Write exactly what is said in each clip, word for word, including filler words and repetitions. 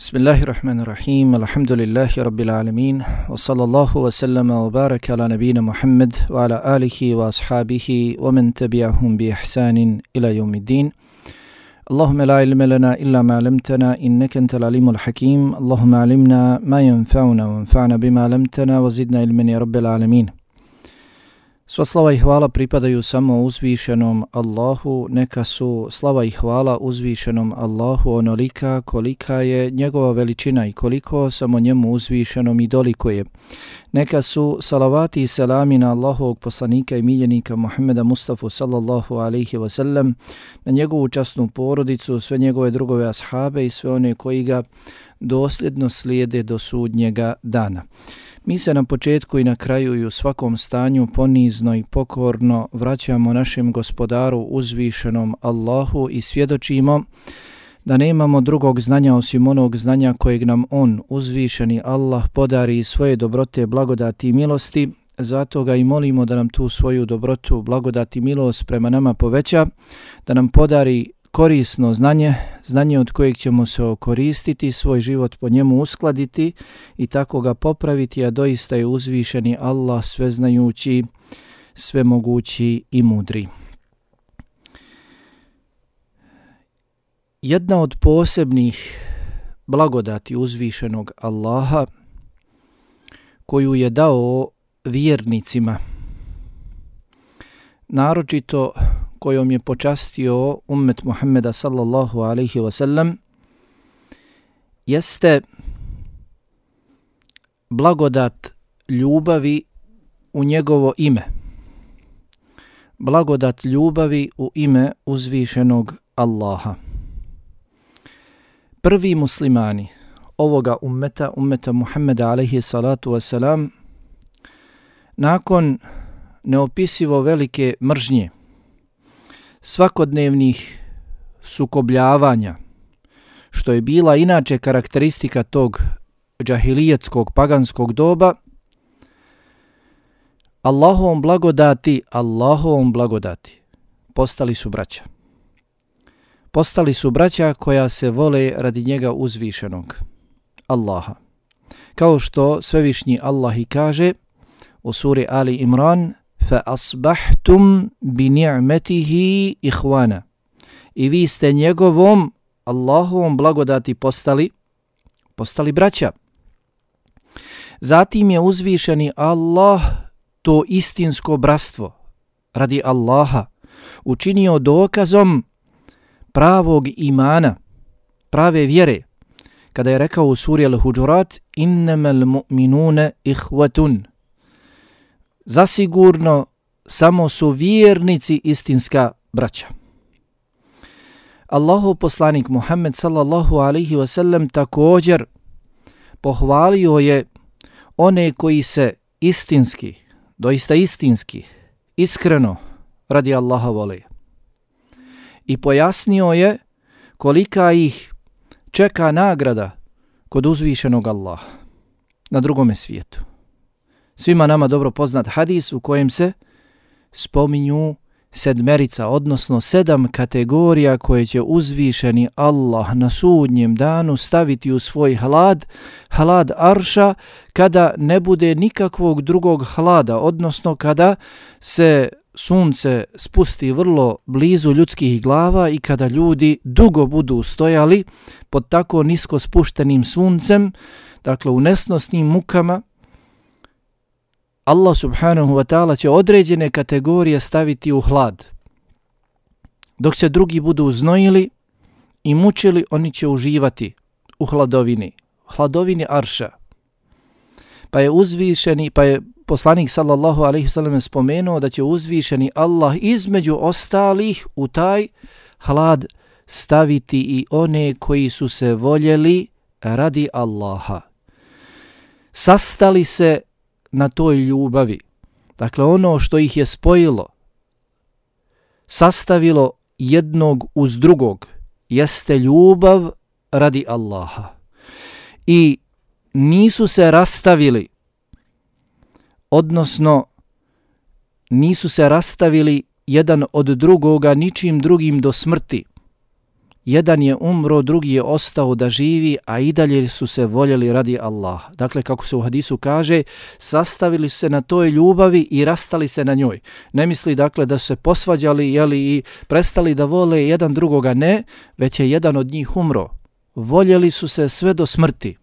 Bismillahirrahmanirrahim, alhamdulillahi rabbil alamin, wa sallallahu wa sallama wa baraka ala nabina Muhammad wa ala alihi wa ashabihi wa man tabi'ahum bi ihsanin ila yawmiddin. Allahumma la ilma lana illa ma 'allamtana innaka antal alimul hakim. Allahumma 'allimna ma yanfa'una wanfa'na bima 'allamtana wa zidna ilman ya rabbil alamin. Sva slava i hvala pripadaju samo uzvišenom Allahu, neka su slava i hvala uzvišenom Allahu onolika kolika je njegova veličina i koliko samo njemu uzvišenom i dolikuje. Neka su salavati i selami na Allahovog poslanika i miljenika Muhammeda Mustafa sallallahu alaihi wa sallam, na njegovu časnu porodicu, sve njegove drugove ashabe i sve one koji ga dosljedno slijede do sudnjega dana. Mi se na početku i na kraju i u svakom stanju ponizno i pokorno vraćamo našem gospodaru uzvišenom Allahu i svjedočimo da nemamo drugog znanja osim onog znanja kojeg nam on, uzvišeni Allah, podari iz svoje dobrote, blagodati i milosti. Zato ga i molimo da nam tu svoju dobrotu, blagodati i milost prema nama poveća, da nam podari korisno znanje, znanje od kojeg ćemo se okoristiti, svoj život po njemu uskladiti i tako ga popraviti, a doista je uzvišeni Allah sveznajući, svemogući i mudri. Jedna od posebnih blagodati uzvišenog Allaha koju je dao vjernicima, naročito kojom je počastio ummet Muhammeda sallallahu alaihi wa sallam, jeste blagodat ljubavi u njegovo ime. Blagodat ljubavi u ime uzvišenog Allaha. Prvi muslimani ovoga ummeta, ummeta Muhammeda alaihi salatu wa salam, nakon neopisivo velike mržnje, svakodnevnih sukobljavanja, što je bila inače karakteristika tog džahilijetskog paganskog doba, Allahovom blagodati, Allahovom blagodati, postali su braća. Postali su braća koja se vole radi njega uzvišenog Allaha. Kao što svevišnji Allah i kaže u suri Ali Imran: فَأَصْبَحْتُمْ بِنِعْمَتِهِ إِخْوَانًا. I vi ste njegovom Allahovom blagodati postali, postali braća. Zatim je uzvišeni Allah to istinsko bratstvo radi Allaha učinio dokazom pravog imana, prave vjere, kada je rekao u suri Al-Huđurat: إِنَّمَا الْمُؤْمِنُونَ إِخْوَةٌ. Zasigurno samo su vjernici istinska braća. Allahov poslanik Muhammed sallallahu alaihi wa sallam također pohvalio je one koji se istinski, doista istinski, iskreno radi Allaha vole. I pojasnio je kolika ih čeka nagrada kod uzvišenog Allaha na drugome svijetu. Svima nama dobro poznat hadis u kojem se spominju sedmerica, odnosno sedam kategorija koje će uzvišeni Allah na sudnjem danu staviti u svoj hlad, hlad arša, kada ne bude nikakvog drugog hlada, odnosno kada se sunce spusti vrlo blizu ljudskih glava i kada ljudi dugo budu stojali pod tako nisko spuštenim suncem, dakle u nesnosnim mukama. Allah subhanahu wa ta'ala će određene kategorije staviti u hlad. Dok se drugi budu znojili i mučili, oni će uživati u hladovini, hladovini arša. Pa je uzvišeni, pa je poslanik sallallahu alejhi ve sellem spomenuo da će uzvišeni Allah između ostalih u taj hlad staviti i one koji su se voljeli radi Allaha. Sastali se na toj ljubavi. Dakle, ono što ih je spojilo, sastavilo jednog uz drugog, jeste ljubav radi Allaha. I nisu se rastavili, odnosno nisu se rastavili jedan od drugoga ničim drugim do smrti, jedan je umro, drugi je ostao da živi, a i dalje su se voljeli radi Allaha. Dakle, kako se u hadisu kaže, sastavili su se na toj ljubavi i rastali se na njoj. Ne misli dakle da su se posvađali jeli, i prestali da vole jedan drugoga, ne, već je jedan od njih umro. Voljeli su se sve do smrti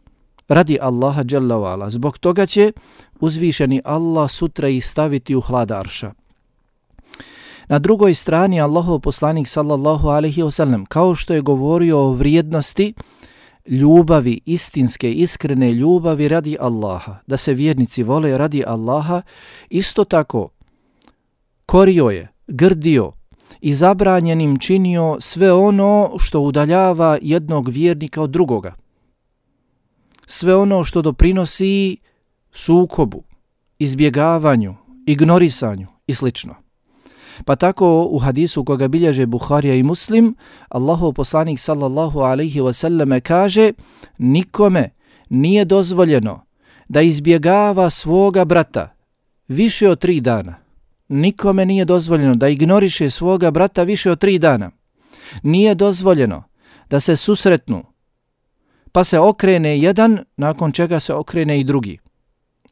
radi Allaha dželle ve ala. Zbog toga će uzvišeni Allah sutra ih staviti u hlad arša. Na drugoj strani Allahov poslanik sallallahu alejhi ve sellem, kao što je govorio o vrijednosti ljubavi, istinske, iskrene ljubavi radi Allaha, da se vjernici vole radi Allaha, isto tako korio je, grdio i zabranjenim činio sve ono što udaljava jednog vjernika od drugoga. Sve ono što doprinosi sukobu, izbjegavanju, ignorisanju i slično. Pa tako u hadisu koga bilježe Buharija i Muslim, Allahov poslanik sallallahu alejhi ve selleme kaže: nikome nije dozvoljeno da izbjegava svoga brata više od tri dana. Nikome nije dozvoljeno da ignoriše svoga brata više od tri dana. Nije dozvoljeno da se susretnu, pa se okrene jedan, nakon čega se okrene i drugi.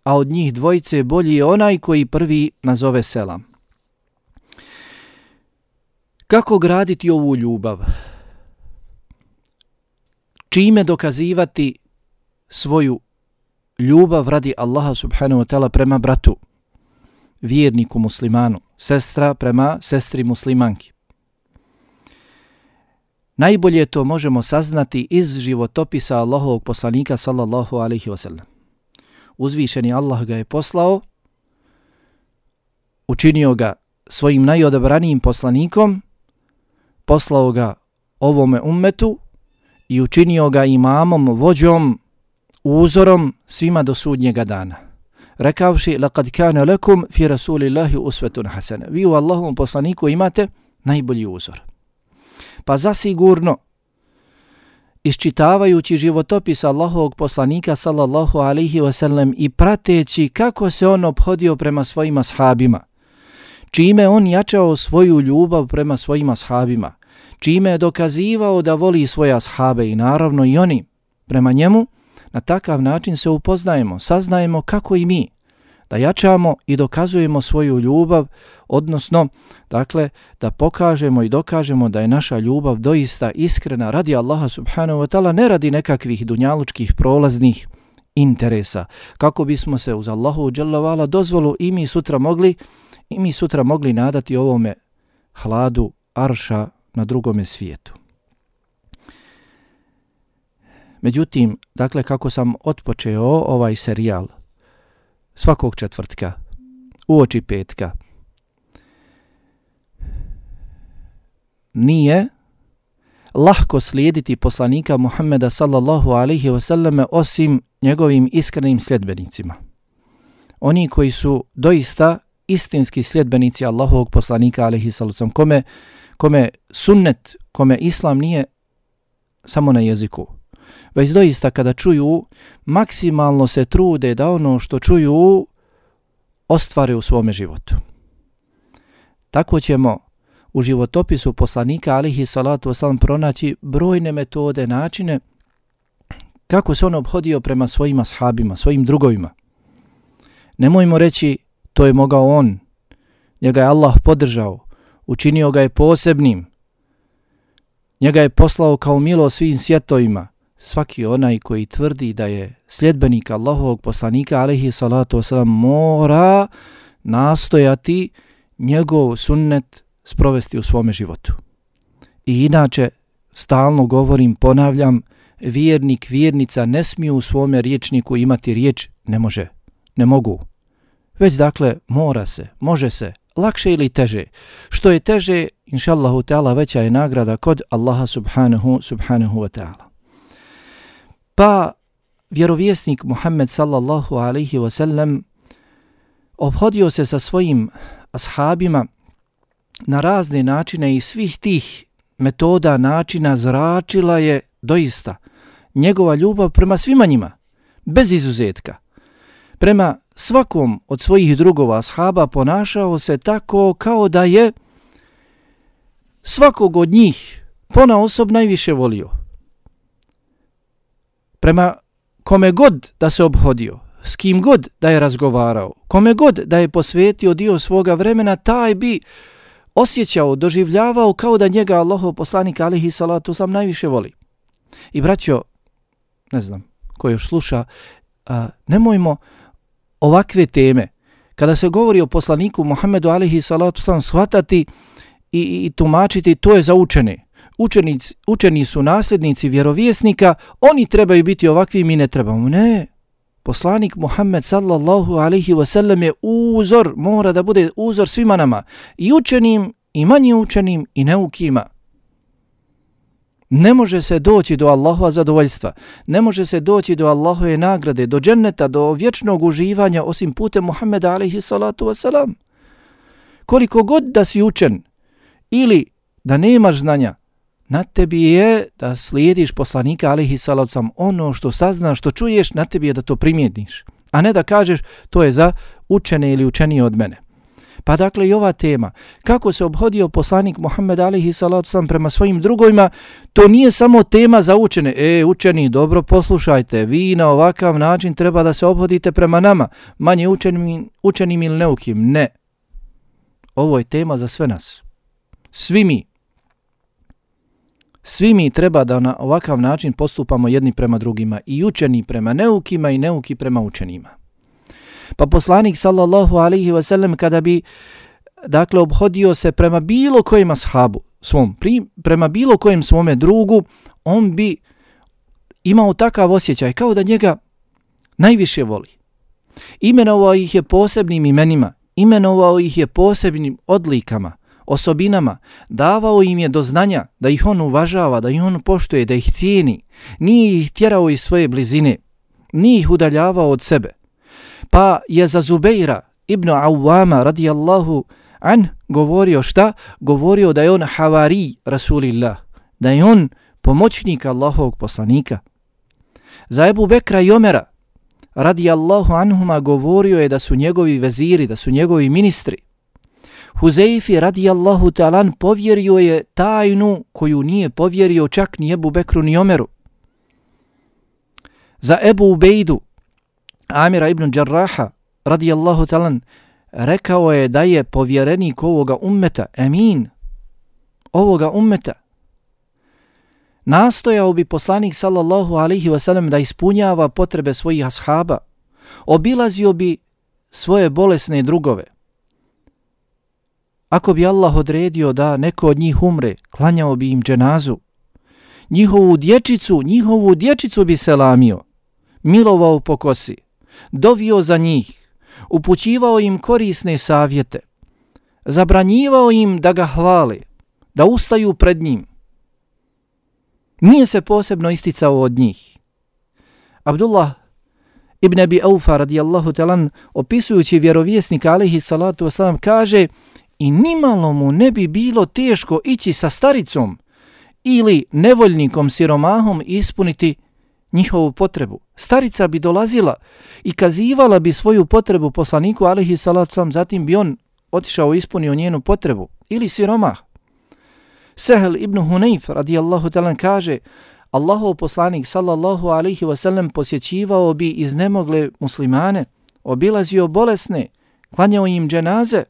A od njih dvojice bolji je onaj koji prvi nazove selam. Kako graditi ovu ljubav? Čime dokazivati svoju ljubav radi Allaha subhanahu wa ta'ala prema bratu, vjerniku muslimanu, sestra prema sestri muslimanki? Najbolje to možemo saznati iz životopisa Allahovog poslanika sallallahu alejhi ve sellem. Uzvišeni Allah ga je poslao, učinio ga svojim najodabranijim poslanikom, poslao ga ovome ummetu i učinio ga imamom, vođom, uzorom svima do sudnjega dana. Rekavši: laqad kana lakum fi rasulillahi uswatun hasana. Vi u Allahovom poslaniku imate najbolji uzor. Pa zasigurno, iščitavajući životopis Allahovog poslanika sallallahu alejhi ve sellem i prateći kako se on ophodio prema svojim ashabima, čime on jačao svoju ljubav prema svojim ashabima, čime je dokazivao da voli svoje ashabe i naravno i oni prema njemu, na takav način se upoznajemo, saznajemo kako i mi da jačamo i dokazujemo svoju ljubav, odnosno, dakle, da pokažemo i dokažemo da je naša ljubav doista iskrena radi Allaha subhanahu wa ta'ala, ne radi nekakvih dunjalučkih prolaznih interesa, kako bismo se uz Allahu dželle ve ala dozvolu i mi sutra mogli i mi sutra mogli nadati ovome hladu arša na drugome svijetu. Međutim, dakle, kako sam otpočeo ovaj serijal svakog četvrtka, uoči petka, nije lahko slijediti poslanika Muhammeda sallallahu alejhi ve selleme osim njegovim iskrenim sljedbenicima. Oni koji su doista istinski sljedbenici Allahovog poslanika alejhi sallam, kome, kome sunnet, kome islam nije samo na jeziku, već doista kada čuju, maksimalno se trude da ono što čuju ostvare u svome životu. Tako ćemo u životopisu poslanika alejhi salatu vesselam pronaći brojne metode, načine kako se on obhodio prema svojim ashabima, svojim drugovima. Nemojmo reći to je mogao on, njega je Allah podržao, učinio ga je posebnim, njega je poslao kao milo svim svjetovima. Svaki onaj koji tvrdi da je sljedbenik Allahovog poslanika alejhi salatu vesselam mora nastojati njegov sunnet sprovesti u svome životu. I inače, stalno govorim, ponavljam, vjernik, vjernica ne smiju u svome riječniku imati riječ ne može, ne mogu. Već dakle, mora se, može se, lakše ili teže. Što je teže, inšallahu ta'ala, veća je nagrada kod Allaha subhanahu, subhanahu wa ta'ala. Pa vjerovjesnik Muhammed sallallahu alejhi ve sellem obhodio se sa svojim ashabima na razne načine i svih tih metoda, načina zračila je doista njegova ljubav prema svima njima, bez izuzetka. Prema svakom od svojih drugova ashaba ponašao se tako kao da je svakog od njih pona osob najviše volio. Prema kome god da se obhodio, s kim god da je razgovarao, kome god da je posvetio dio svoga vremena, taj bi osjećao, doživljavao kao da njega Allahov poslanik alejhi salatu vesselam najviše voli. I braćo, ne znam ko još sluša, a, nemojmo ovakve teme, kada se govori o poslaniku Muhammedu alejhi salatu vesselam, shvatati i, i tumačiti to je za učene. Učenici, učeni su nasljednici vjerovjesnika, oni trebaju biti ovakvi, mi ne trebamo. Ne, poslanik Muhammed sallallahu alejhi ve sellem je uzor, mora da bude uzor svima nama, i učenim, i manje učenim, i neukima. Ne može se doći do Allahova zadovoljstva, ne može se doći do Allahove nagrade, do dženneta, do vječnog uživanja osim putem Muhammeda alejhi salatu vesselam. Koliko god da si učen ili da nemaš znanja, na tebi je da slijediš poslanika alejhi salatu vesselam. Ono što saznaš, što čuješ, na tebi je da to primijetiš, a ne da kažeš to je za učene ili učenije od mene. Pa dakle i ova tema, kako se obhodio poslanik Muhammed alejhi salatu vesselam prema svojim drugovima, to nije samo tema za učene. E, učeni, dobro poslušajte, vi na ovakav način treba da se obhodite prema nama, manje učenim, učenim ili neukim. Ne. Ovo je tema za sve nas. Svi mi. Svi mi treba da na ovakav način postupamo jedni prema drugima, i učeni prema neukima i neuki prema učenima. Pa poslanik sallallahu alejhi ve sellem kada bi dakle obhodio se prema bilo kojem ashabu svom, pri, prema bilo kojem svome drugu, on bi imao takav osjećaj kao da njega najviše voli. Imenovao ih je posebnim imenima, imenovao ih je posebnim odlikama, osobinama, davao im je do znanja da ih on uvažava, da ih on poštuje, da ih cijeni, nije ih tjerao iz svoje blizine, nije ih udaljavao od sebe. Pa je za Zubeira ibn Awama radijallahu an govorio šta? Govorio da je on havari Rasulillah, da je on pomoćnik Allahovog poslanika. Za Ebu Bekra i Omera radijallahu anhuma govorio je da su njegovi veziri, da su njegovi ministri. Huzeifi radijallahu ta'alan povjerio je tajnu koju nije povjerio čak ni Ebu Bekru ni Omeru. Za Ebu Ubejdu Amira ibn Đarraha radijallahu ta'alan rekao je da je povjerenik ovoga ummeta, emin ovoga ummeta. Nastojao bi poslanik sallallahu alejhi ve sellem da ispunjava potrebe svojih ashaba, obilazio bi svoje bolesne drugove. Ako bi Allah odredio da neko od njih umre, klanjao bi im dženazu. Njihovu dječicu, njihovu dječicu bi selamio, milovao po kosi, dovio za njih, upućivao im korisne savjete, zabranjivao im da ga hvale, da ustaju pred njim. Nije se posebno isticao od njih. Abdullah ibn Abi Aufa radijallahu talan, opisujući vjerovjesnika alejhi salatu wasalam, kaže: i nimalo mu ne bi bilo teško ići sa staricom ili nevoljnikom siromahom ispuniti njihovu potrebu. Starica bi dolazila i kazivala bi svoju potrebu poslaniku alejhi salatu wasalam, zatim bi on otišao i ispunio njenu potrebu. Ili siromah. Sehel ibn Hunayf radijallahu talan kaže: Allahov poslanik sallallahu alejhi ve sellem posjećivao bi iznemogle muslimane, obilazio bolesne, klanjao im dženaze.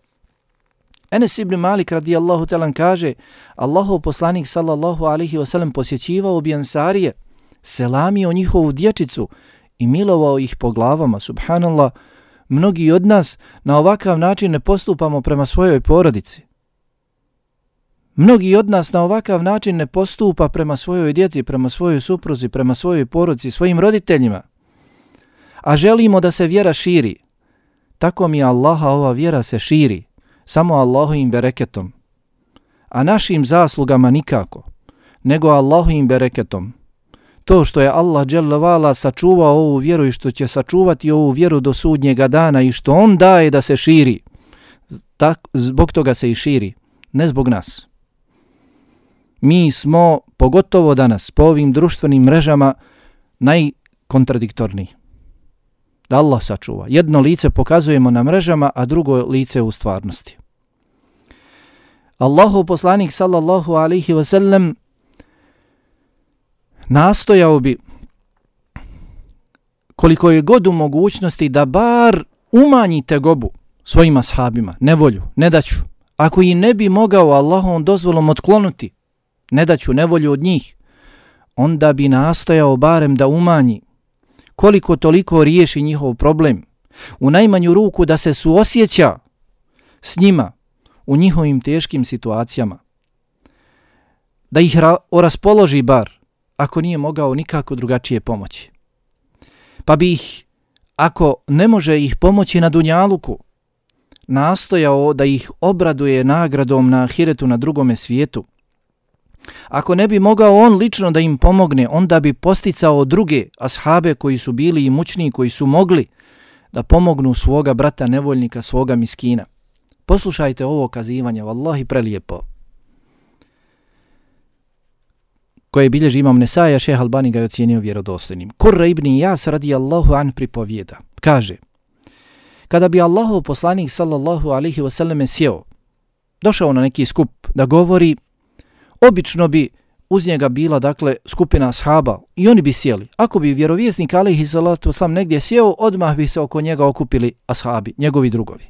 Enes ibn Malik radijallahu talan kaže: Allahov poslanik sallallahu alejhi ve sellem posjećivao bi Ansarije, selamio njihovu dječicu i milovao ih po glavama. Subhanallah, mnogi od nas na ovakav način ne postupamo prema svojoj porodici. Mnogi od nas na ovakav način ne postupa prema svojoj djeci, prema svojoj supruzi, prema svojoj porodici, svojim roditeljima. A želimo da se vjera širi. Tako mi Allaha ova vjera se širi, samo Allahovim bereketom. A našim zaslugama nikako, nego Allahovim bereketom. To što je Allah dželle vala sačuvao ovu vjeru i što će sačuvati ovu vjeru do sudnjega dana i što on daje da se širi, tak, zbog toga se i širi, ne zbog nas. Mi smo, pogotovo danas, po ovim društvenim mrežama, najkontradiktorniji. Da Allah sačuva. Jedno lice pokazujemo na mrežama, a drugo lice u stvarnosti. Allahov poslanik sallallahu alejhi ve sellem nastojao bi koliko je god u mogućnosti da bar umanji tegobu svojim ashabima, nevolju, nedaću. Ako i ne bi mogao Allahovom dozvolom otklonuti nedaću, nevolju od njih, onda bi nastojao barem da umanji, koliko toliko riješi njihov problem, u najmanju ruku da se suosjeća s njima u njihovim teškim situacijama, da ih ra- raspoloži bar, ako nije mogao nikako drugačije pomoći. Pa bi ih, ako ne može ih pomoći na dunjaluku, nastojao da ih obraduje nagradom na ahiretu na drugome svijetu. Ako ne bi mogao on lično da im pomogne, onda bi posticao druge ashabe koji su bili imućniji, koji su mogli da pomognu svoga brata nevoljnika, svoga miskina. Poslušajte ovo kazivanje, vallahi prelijepo, koje bilježi imam Nesaja, šejh Albani ga je ocijenio vjerodostojnim. Kurra ibn Iyas radijallahu an pripovijeda, kaže: kada bi Allahov poslanik sallallahu alejhi ve selleme sjeo, došao na neki skup da govori, obično bi uz njega bila, dakle, skupina ashaba i oni bi sjeli. Ako bi vjerovjesnik alejhi salatu vesselam negdje sjeo, odmah bi se oko njega okupili ashabi, njegovi drugovi.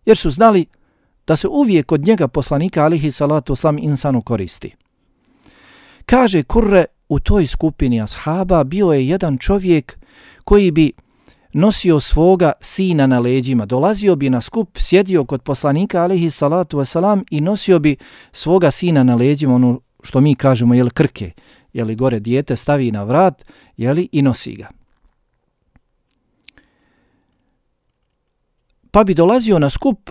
Jer su znali da se uvijek od njega poslanika alejhi salatu vesselam insanu koristi. Kaže Kurre, u toj skupini ashaba bio je jedan čovjek koji bi nosio svoga sina na leđima, dolazio bi na skup, sjedio kod poslanika alejhi salatu vesselam i nosio bi svoga sina na leđima, ono što mi kažemo, jel, krke, jel, gore dijete stavi na vrat, jel, i nosi ga. Pa bi dolazio na skup,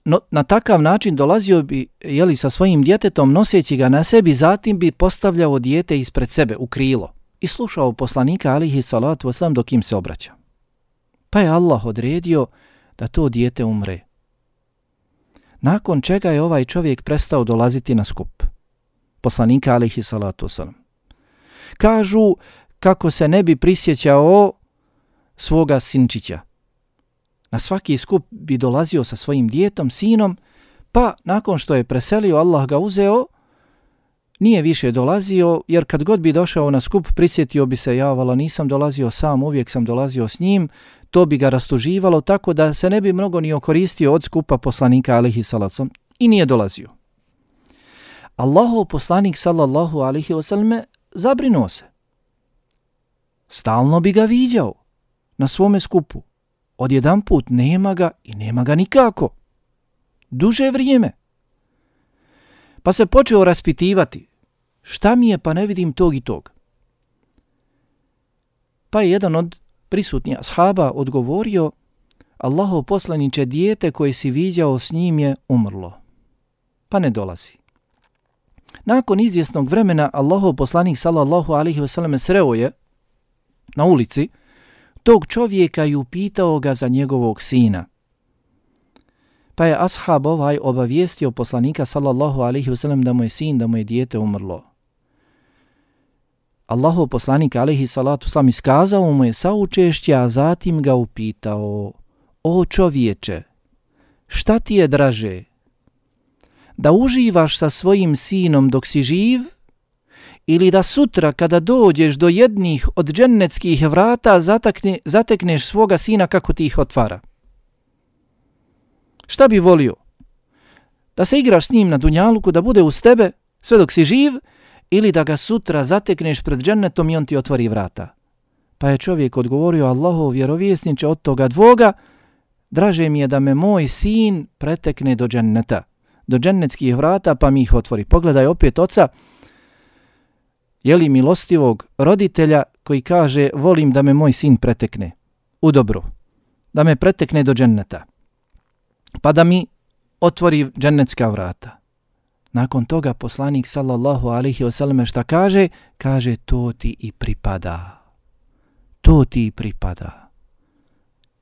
no, na takav način dolazio bi, jeli, sa svojim djetetom, noseći ga na sebi, zatim bi postavljao dijete ispred sebe u krilo i slušao poslanika alejhi salatu vesselam dok im se obraća. Pa je Allah odredio da to dijete umre. Nakon čega je ovaj čovjek prestao dolaziti na skup poslanika alejhi salatu vesselam. Kažu kako se ne bi prisjećao svoga sinčića. Na svaki skup bi dolazio sa svojim djetom, sinom, pa nakon što je preselio, Allah ga uzeo, nije više dolazio, jer kad god bi došao na skup, prisjetio bi se, ja vala, nisam dolazio sam, uvijek sam dolazio s njim, to bi ga rastuživalo, tako da se ne bi mnogo ni okoristio od skupa poslanika alejhi salatu vesselam, i nije dolazio. Allahov poslanik sallallahu alejhi ve selleme zabrinuo se. Stalno bi ga viđao na svome skupu. Odjedanput nema ga i nema ga nikako. Duže vrijeme. Pa se počeo raspitivati, šta mi je, pa ne vidim tog i tog. Pa je jedan od prisutnih ashaba odgovorio: Allahov poslaniče, dijete koje si viđao s njim je umrlo, pa ne dolazi. Nakon izvjesnog vremena Allahov poslanik sallallahu alejhi ve selleme sreo je na ulici tog čovjeka i upitao ga za njegovog sina. Pa je ashab ovaj obavijestio poslanika sallallahu alejhi ve sellem da mu je sin, da mu je dijete umrlo. Allahov poslanik alejhi salatu sam iskazao mu je saučešće, a zatim ga upitao: o čovječe, šta ti je draže? Da uživaš sa svojim sinom dok si živ, ili da sutra kada dođeš do jednih od džennetskih vrata zatekne, zatekneš svoga sina kako ti ih otvara? Šta bi volio? Da se igraš s njim na dunjaluku, da bude uz tebe sve dok si živ, ili da ga sutra zatekneš pred džennetom i on ti otvori vrata? Pa je čovjek odgovorio: Allahov vjerovjesniče, od toga dvoga draže mi je da me moj sin pretekne do dženneta, do džennetskih vrata, pa mi ih otvori. Pogledaj opet oca, jeli, milostivog roditelja, koji kaže: volim da me moj sin pretekne u dobru, da me pretekne do dženneta, pa da mi otvori džennetska vrata. Nakon toga poslanik sallallahu alejhi ve selleme šta kaže? Kaže: to ti i pripada. To ti i pripada.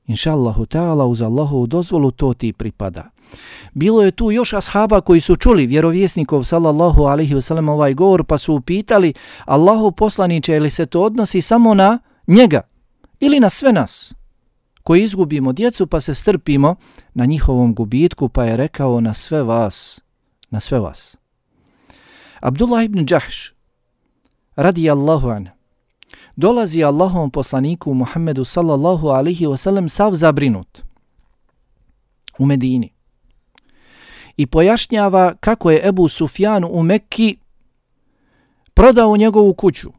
Inšallahu ta'ala, uz Allahovu dozvolu, to ti pripada. Bilo je tu još ashaba koji su čuli vjerovjesnikov sallallahu alejhi ve sellem ovaj govor, pa su upitali: Allahov poslaniče, ili se to odnosi samo na njega ili na sve nas koji izgubimo djecu pa se strpimo na njihovom gubitku? Pa je rekao: na sve vas, na sve vas. Abdullah ibn Đahš radijallahu anhu dolazi Allahovom poslaniku Muhammedu sallallahu alaihi wasallam sav zabrinut u Medini i pojašnjava kako je Ebu Sufjan u Mekki prodao njegovu kuću.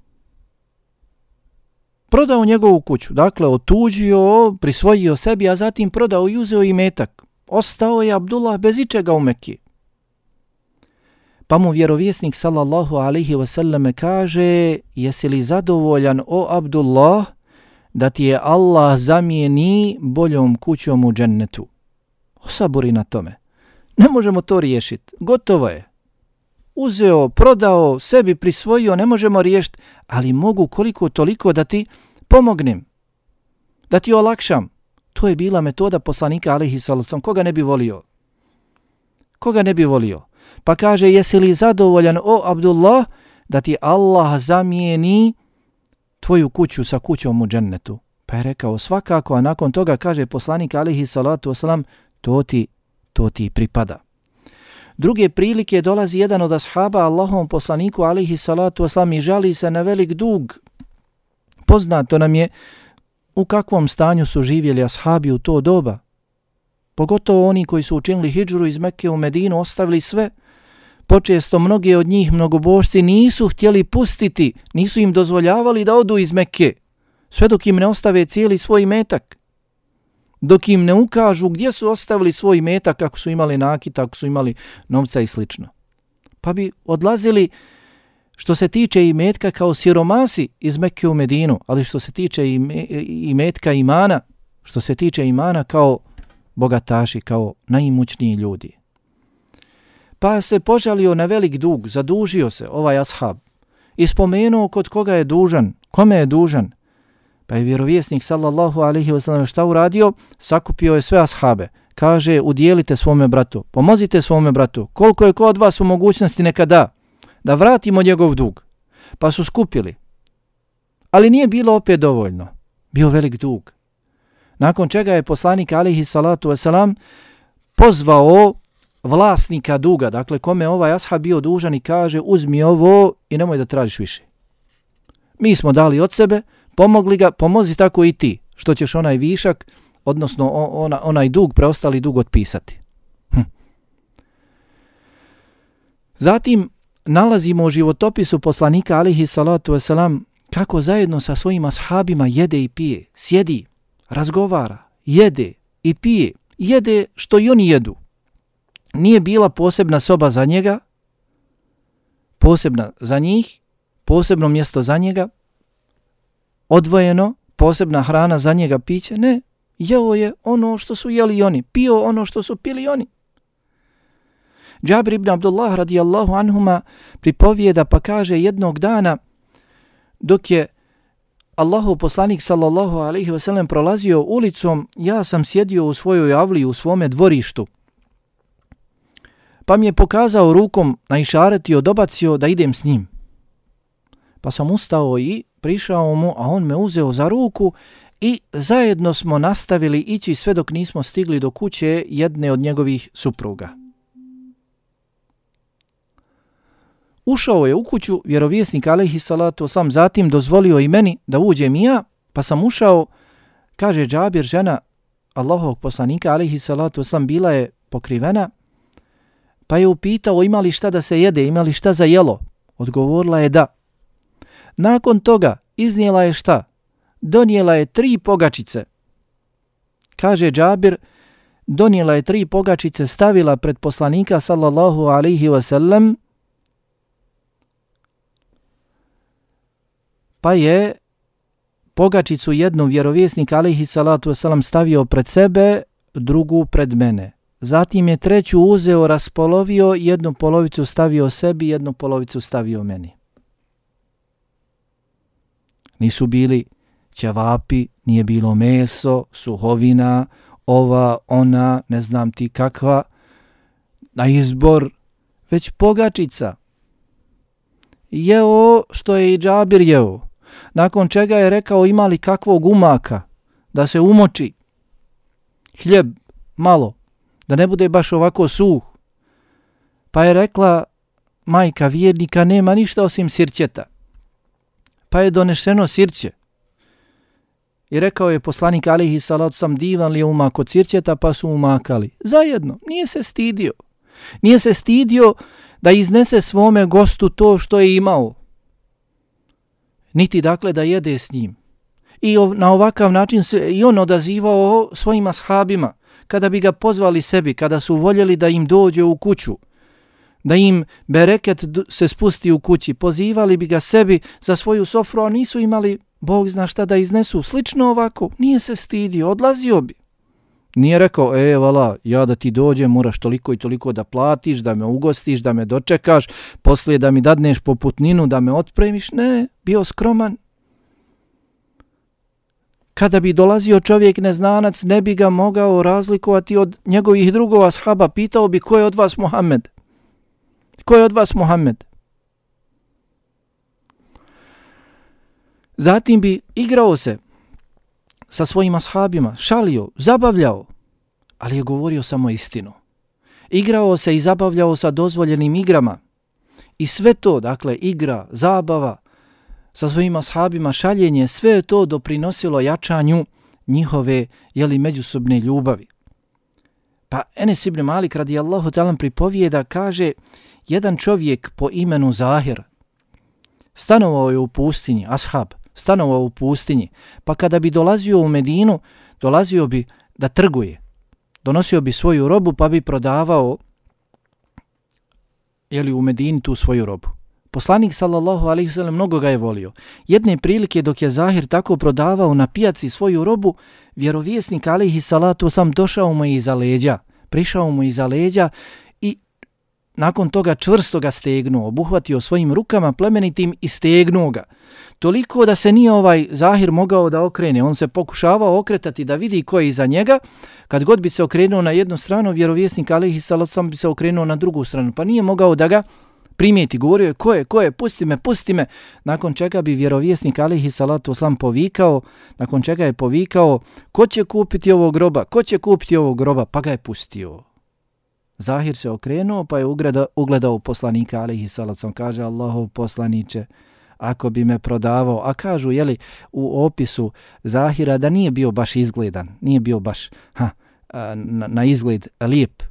Prodao njegovu kuću, dakle otuđio, prisvojio sebi, a zatim prodao i uzeo imetak. Ostao je Abdullah bez ičega u Mekki. Pa mu vjerovjesnik sallallahu alaihi wasallam kaže: jesi li zadovoljan, o Abdullah, da ti je Allah zamijeni boljom kućom u džennetu? Osaburi na tome. Ne možemo to riješiti. Gotovo je. Uzeo, prodao, sebi prisvojio, ne možemo riješiti, ali mogu koliko toliko da ti pomognem, da ti olakšam. To je bila metoda poslanika alejhi salatu. Koga ne bi volio? Koga ne bi volio? Pa kaže: jesi li zadovoljan, o Abdullah, da ti Allah zamijeni tvoju kuću sa kućom u džennetu? Pa je rekao svakako, a nakon toga kaže poslanik alejhi salatu wasalam: to ti, to ti pripada. Druge prilike dolazi jedan od ashaba Allahovom poslaniku alejhi salatu wasalam i žali se na velik dug. Poznato nam je u kakvom stanju su živjeli ashabi u to doba. Pogotovo oni koji su učinili hidžru iz Mekke u Medinu, ostavili sve. Počesto mnogi od njih, mnogobožci, nisu htjeli pustiti, nisu im dozvoljavali da odu iz Mekke, sve dok im ne ostave cijeli svoj metak. Dok im ne ukažu gdje su ostavili svoj metak, ako su imali nakit, ako su imali novca i slično. Pa bi odlazili, što se tiče i metka, kao siromasi iz Mekke u Medinu, ali što se tiče i metka imana, što se tiče imana kao bogataši, kao najimućniji ljudi. Pa se požalio na velik dug, zadužio se ovaj ashab i spomenuo kod koga je dužan, kome je dužan. Pa je vjerovjesnik sallallahu alaihi wasallam šta uradio? Sakupio je sve ashabe. Kaže: udijelite svome bratu, pomozite svome bratu, koliko je ko od vas u mogućnosti neka da, da vratimo njegov dug. Pa su skupili. Ali nije bilo opet dovoljno. Bio velik dug. Nakon čega je poslanik alejhi salatu wasalam pozvao vlasnika duga, dakle kome ovaj ashab bio dužan, i kaže: uzmi ovo i nemoj da tražiš više. Mi smo dali od sebe, pomogli ga, pomozi tako i ti, što ćeš onaj višak, odnosno ona, onaj dug, preostali dug otpisati. Hm. Zatim nalazimo u životopisu poslanika alejhi salatu wasalam kako zajedno sa svojim ashabima jede i pije, sjedi, razgovara, jede i pije, jede što i oni jedu. Nije bila posebna soba za njega, posebna za njih, posebno mjesto za njega, odvojeno, posebna hrana za njega, piće, ne, jeo je ono što su jeli oni, pio ono što su pili oni. Džabir ibn Abdullah radijallahu anhuma pripovijeda pa kaže: jednog dana dok je Allahov poslanik sallallahu alejhi ve sellem prolazio ulicom, ja sam sjedio u svojoj avli, u svome dvorištu. Pa mi je pokazao rukom, naišaretio, dobacio da idem s njim. Pa sam ustao i prišao mu, a on me uzeo za ruku i zajedno smo nastavili ići sve dok nismo stigli do kuće jedne od njegovih supruga. Ušao je u kuću, vjerovjesnik alejhi salatu wasalam, zatim dozvolio i meni da uđem i ja, pa sam ušao, kaže Džabir, žena Allahovog poslanika alejhi salatu wasalam bila je pokrivena, pa je upitao ima li šta da se jede, ima li šta za jelo. Odgovorila je da. Nakon toga iznijela je šta? Donijela je tri pogačice. Kaže Džabir, donijela je tri pogačice, stavila pred poslanika sallallahu alaihi wasallam, pa je pogačicu jednu vjerovjesnik alaihi salatu wasalam stavio pred sebe, drugu pred mene. Zatim je treću uzeo, raspolovio, jednu polovicu stavio sebi, jednu polovicu stavio meni. Nisu bili ćevapi, nije bilo meso, suhovina, ova, ona, ne znam ti kakva, na izbor, već pogačica. Jeo što je i Džabir jeo. Nakon čega je rekao ima li kakvog umaka da se umoči. Hljeb, malo, da ne bude baš ovako suh. Pa je rekla majka vjernika nema ništa osim sirćeta. pa je donešeno sirće. I rekao je poslanik alejhi salatu sam, divan li je umak od sirćeta, pa su umakali. Zajedno, nije se stidio. Nije se stidio da iznese svome gostu to što je imao. Niti dakle da jede s njim. I na ovakav način se i on odazivao svojim ashabima. Kada bi ga pozvali sebi, kada su voljeli da im dođe u kuću, da im bereket se spusti u kući, pozivali bi ga sebi za svoju sofru, a nisu imali Bog zna šta da iznesu. Slično ovako, nije se stidio, odlazio bi. Nije rekao, e, vala, ja da ti dođem, moraš toliko i toliko da platiš, da me ugostiš, da me dočekaš, poslije da mi dadneš poputninu, da me otpremiš. Ne, bio skroman. Kada bi dolazio čovjek neznanac, ne bi ga mogao razlikovati od njegovih drugova ashaba. Pitao bi, ko je od vas Muhammed? Ko je od vas Muhammed? Zatim bi igrao se sa svojim ashabima, šalio, zabavljao, ali je govorio samo istinu. Igrao se i zabavljao sa dozvoljenim igrama. I sve to, dakle, igra, zabava, sa svojim ashabima, šaljenje, sve je to doprinosilo jačanju njihove, jeli, međusobne ljubavi. Pa Enes ibn Malik radijallahu ta'ala pripovijeda, kaže, jedan čovjek po imenu Zahir stanovao je u pustinji, ashab, stanovao u pustinji, pa kada bi dolazio u Medinu, dolazio bi da trguje. Donosio bi svoju robu pa bi prodavao, jeli, u Medini tu svoju robu. Poslanik sallallahu alejhi ve sellem mnogo ga je volio. Jedne prilike dok je Zahir tako prodavao na pijaci svoju robu, vjerovjesnik alejhi salatu sam došao mu iza leđa, prišao mu iza leđa i nakon toga čvrsto ga stegnuo, obuhvatio svojim rukama plemenitim i stegnuo ga. Toliko da se nije ovaj Zahir mogao da okrene. On se pokušavao okretati da vidi ko je iza njega. Kad god bi se okrenuo na jednu stranu, vjerovjesnik alejhi salatu sam bi se okrenuo na drugu stranu, pa nije mogao da ga primijeti. Govorio je, ko je, ko je, pusti me, pusti me. Nakon čega bi vjerovjesnik alejhi salatu vesselam povikao, nakon čega je povikao, ko će kupiti ovog groba, ko će kupiti ovog groba, pa ga je pustio. Zahir se okrenuo, pa je ugledao, ugledao poslanika alejhi salatu vesselam, kaže, Allahov poslaniče, ako bi me prodavao, a kažu, jeli, u opisu Zahira da nije bio baš izgledan, nije bio baš ha, na, na izgled lijep.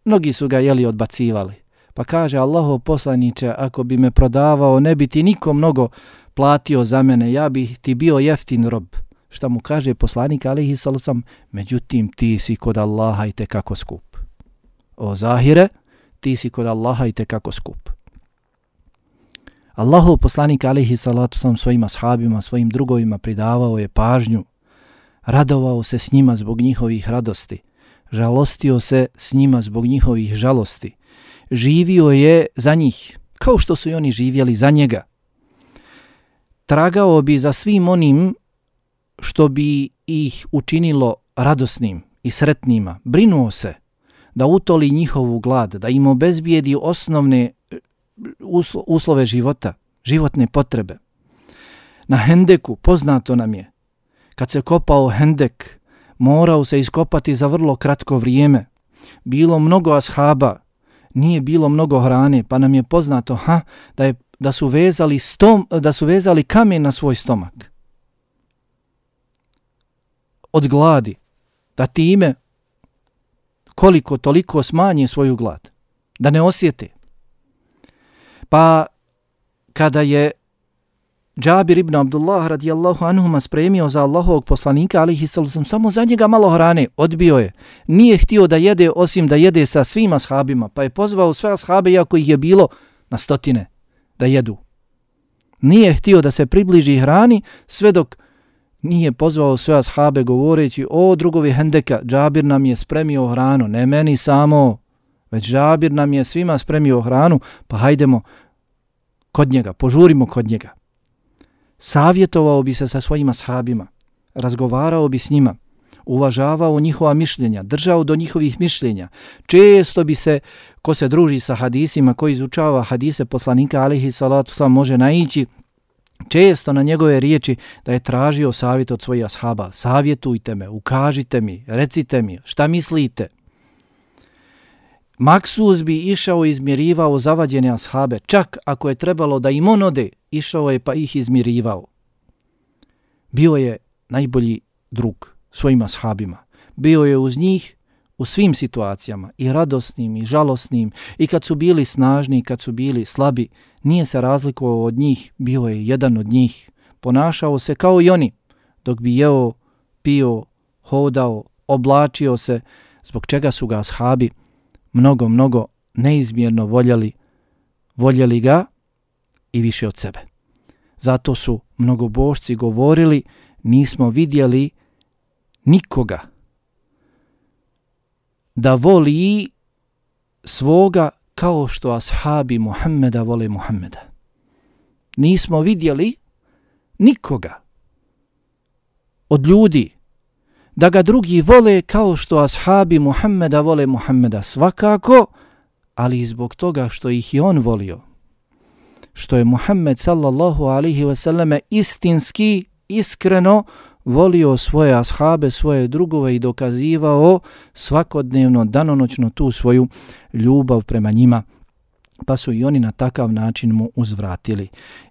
Mnogi su ga, jeli, odbacivali. Pa kaže, Allahov poslaniče, ako bi me prodavao, ne bi ti niko mnogo platio za mene, ja bih ti bio jeftin rob. Šta mu kaže poslanik alejhi salatu vesselam, međutim ti si kod Allaha i tekako skup. O Zahire, ti si kod Allaha i tekako skup. Allahov poslanik alejhi salatu vesselam svojim ashabima, svojim drugovima pridavao je pažnju, radovao se s njima zbog njihovih radosti, žalostio se s njima zbog njihovih žalosti, živio je za njih, kao što su i oni živjeli za njega. Tragao bi za svim onim što bi ih učinilo radosnim i sretnima, brinuo se da utoli njihovu glad, da im obezbijedi osnovne uslove života, životne potrebe. Na Hendeku, poznato nam je, kad se kopao Hendek, morao se iskopati za vrlo kratko vrijeme. Bilo mnogo ashaba, nije bilo mnogo hrane, pa nam je poznato ha, da, je, da, su vezali stom, da su vezali kamen na svoj stomak. Od gladi, da time koliko toliko smanje svoju glad, da ne osjete. Pa kada je Džabir ibn Abdullah radijallahu anhuma spremio za Allahovog poslanika alejhi salatu samo za njega malo hrane, odbio je. Nije htio da jede osim da jede sa svim ashabima, pa je pozvao sve ashabe, iako ih je bilo na stotine, da jedu. Nije htio da se približi hrani sve dok nije pozvao sve ashabe govoreći, o drugovi Hendeka, Džabir nam je spremio hranu, ne meni samo, već Džabir nam je svima spremio hranu, pa hajdemo kod njega, požurimo kod njega. Savjetovao bi se sa svojima ashabima, razgovarao bi s njima, uvažavao njihova mišljenja, držao do njihovih mišljenja. Često bi se, ko se druži sa hadisima, ko izučava hadise poslanika alejhi salatu vesselam, može naići često na njegove riječi da je tražio savjet od svojih ashaba. Savjetujte me, ukažite mi, recite mi, šta mislite. Maksus bi išao i izmirivao zavađene ashabe. Čak ako je trebalo da im on ode, išao je pa ih izmirivao. Bio je najbolji drug svojim ashabima. Bio je uz njih u svim situacijama, i radosnim i žalosnim, i kad su bili snažni i kad su bili slabi. Nije se razlikovao od njih, bio je jedan od njih. Ponašao se kao i oni, dok bi jeo, pio, hodao, oblačio se, zbog čega su ga ashabi mnogo, mnogo neizmjerno voljeli, voljeli ga i više od sebe. Zato su mnogobožci govorili, nismo vidjeli nikoga da voli svoga kao što ashabi Muhammeda vole Muhammeda. Nismo vidjeli nikoga od ljudi da ga drugi vole kao što ashabi Muhammeda vole Muhammeda, svakako, ali i zbog toga što ih i on volio. Što je Muhammed sallallahu alaihi wasallam istinski, iskreno volio svoje ashabe, svoje drugove i dokazivao svakodnevno, danonoćno tu svoju ljubav prema njima. Pa su i oni na takav način mu uzvratili.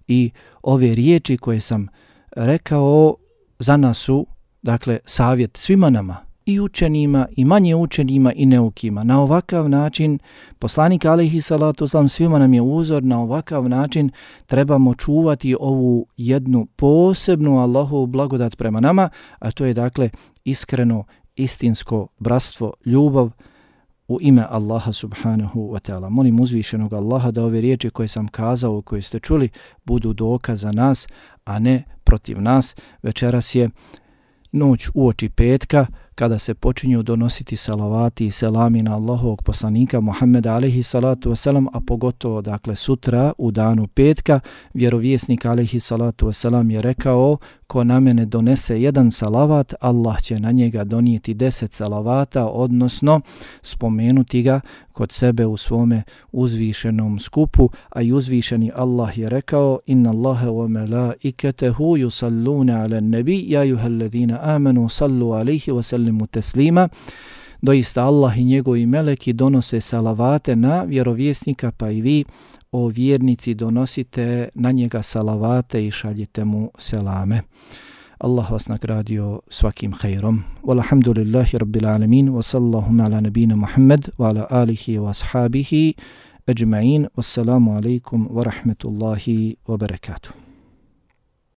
I ove riječi koje sam rekao za nas su, dakle, savjet svima nama, i učenima, i manje učenima, i neukima. Na ovakav način, poslanik alejhi salatu vesselam svima nam je uzor, na ovakav način trebamo čuvati ovu jednu posebnu Allahovu blagodat prema nama, a to je, dakle, iskreno, istinsko bratstvo, ljubav u ime Allaha subhanahu wa ta'ala. Molim uzvišenog Allaha da ove riječi koje sam kazao, koje ste čuli, budu dokaz za nas, a ne protiv nas. Večeras je noć uoči petka, kada se počinju donositi salavati i selami na Allahovog poslanika Muhammeda alejhi salatu vesselam, a pogotovo, dakle, sutra u danu petka, vjerovjesnik alejhi salatu vesselam je rekao: ko na mene donese jedan salavat, Allah će na njega donijeti deset salavata, odnosno spomenuti ga kod sebe u svome uzvišenom skupu, a i uzvišeni Allah je rekao: inna Allaha wa malaikatahu yusalluna ala nabi ya ayyuhalladhina amanu sallu alayhi wa sallimu taslima. Doista Allah i njegovi meleki donose salavate na vjerovjesnika, pa i vi, o vjernici, donosite na njega salavate i šaljite mu selame. Allah vas nagradio svakim hajrom. Walhamdulillahi rabbil alamin, wa sallallahu ala nabina Muhammad wa ala alihi wa ashabihi ajma'in. Wassalamu alaikum wa rahmetullahi wa barakatuh.